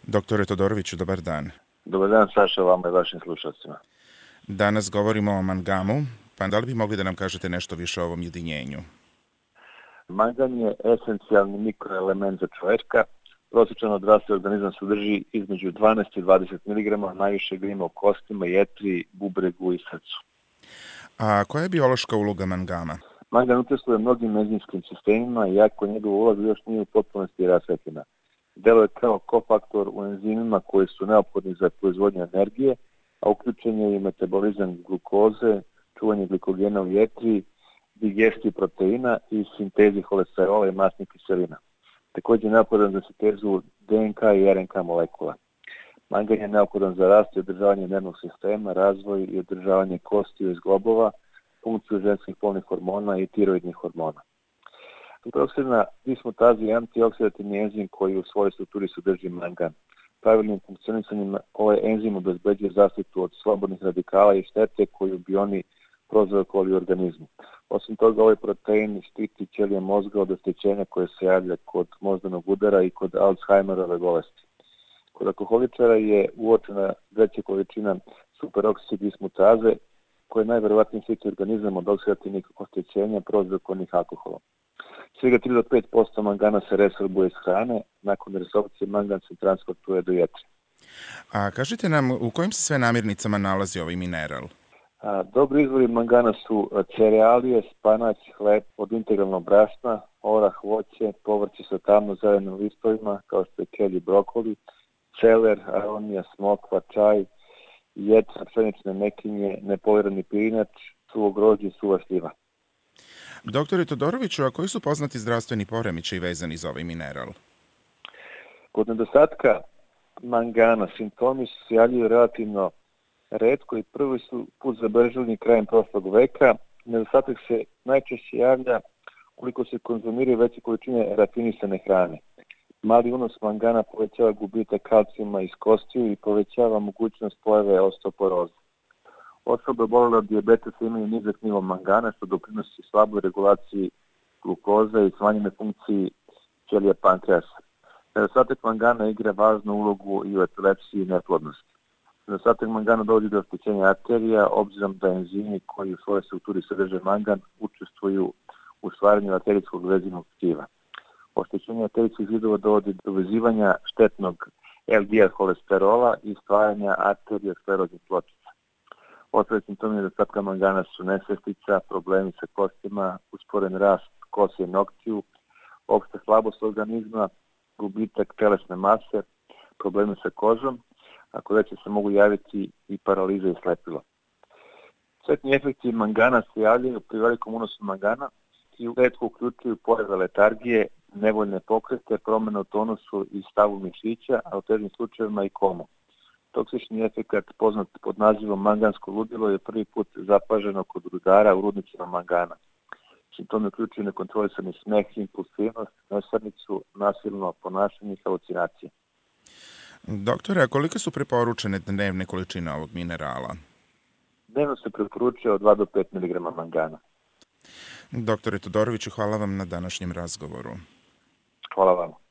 Doktore Todoroviću, dobar dan. Dobar dan, Saša, vama i vašim slušalcima. Danas govorimo o mangamu, pa da li bi mogli da nam kažete nešto više o ovom jedinjenju? Mangan je esencijalni mikroelement za čoveka. Prosječan odrasli organizam sadrži između 12 i 20 mg, najviše ga ima u kostima, jetri, bubregu i srcu. A koja je biološka uloga mangama? Mangan učestvuje u mnogim enzimskim sistemima, iako njegova uloga još nije u potpunosti rasvetljena. Deluje kao kofaktor u enzimima koji su neophodni za proizvodnju energije, a uključen je i metabolizam glukoze, čuvanje glikogena u jetri, digestiju proteina i sintezi holesterola i masnih kiselina. Također je neophodan za sintezu DNK i RNK molekula. Mangan je neophodan za rast i održavanje nervnog sistema, razvoj i održavanje kostiju i zglobova, funkciju ženskih polnih hormona i tiroidnih hormona. Antioksidna dismutaza je antioksidativni enzim koji u svojoj strukturi sadrži mangan. Pravilnim funkcionisanjem ovaj enzim obezbeđuje zaštitu od slobodnih radikala i štete koju bi oni prouzrokovali u organizmu. Osim toga, ovaj protein štiti ćelije mozga od oštećenja koje se javlja kod moždanog udara i kod Alzheimerove bolesti. Kod alkoholičara je uočena veća količina superoksid dismutaze koja najverovatnije štiti organizam od oksidativnih oštećenja prouzrokovanih alkoholom. Svega 3 do 5% mangana se resorbuje iz hrane, nakon resorpcije mangan se transportuje do jetre. A kažite nam, u kojim se sve namirnicama nalazi ovaj mineral? Dobri izvori mangana su cerealije, spanać, hleb od integralnog brašna, orah, voće, povrće sa tamno-zelenim listovima kao što je kelj i brokoli, celer, aronija, smokva, čaj, jetra, pšenične mekinje, nepolirani pirinač, suvo grožđe i suva šljiva. Doktore Todoroviću, a koji su poznati zdravstveni poremećaji vezani za ovaj mineral? Kod nedostatka mangana simptomi se javljaju relativno retko i prvi su put zabeleženi krajem prošlog veka. Nedostatak se najčešće javlja koliko se konzumiraju veće količine rafinisane hrane. Mali unos mangana povećava gubitak kalcijuma iz kostiju i povećava mogućnost pojave osteoporoze. Osobe obolele od dijabetesa imaju nizak nivo mangana što doprinosi slaboj regulaciji glukoze i smanjenoj funkciji ćelija pankreasa. Nedostatak mangana igra važnu ulogu i u epilepsiji i neplodnosti. Nedostatak mangana dovodi do oštećenja arterija, obzirom da enzimi koji u svojoj strukturi sadrže mangan učestvuju u stvaranju arterijskog vezinog tkiva. Oštećenje arterijskih zidova dovodi do vezivanja štetnog LDL holesterola i stvaranja arterioskleroznih pločica. Ostali simptomi nedostatka mangana su nesvestica, problemi sa kostima, usporen rast kose i noktiju, opšta slabost organizma, gubitak telesne mase, problemi sa kožom, a kod veće se mogu javiti i paraliza i slepilo. Štetni efekti mangana se javljaju pri velikom unosu mangana i retko uključuju pojave letargije, nevoljne pokrete, promjene u tonusu i stavu mišića, a u težim slučajevima i komu. Toksični efekat poznat pod nazivom mangansko ludilo je prvi put zapaženo kod rudara u rudnicima mangana. Simptomi uključuju nekontrolisani smeh, impulsivnost, nesarnicu, nasilno ponašanje i halucinacije. Doktore, a kolike su preporučene dnevne količine ovog minerala? Dnevno se preporučuje od 2 do 5 mg mangana. Doktore Todoroviću, hvala vam na današnjem razgovoru. Hvala vam.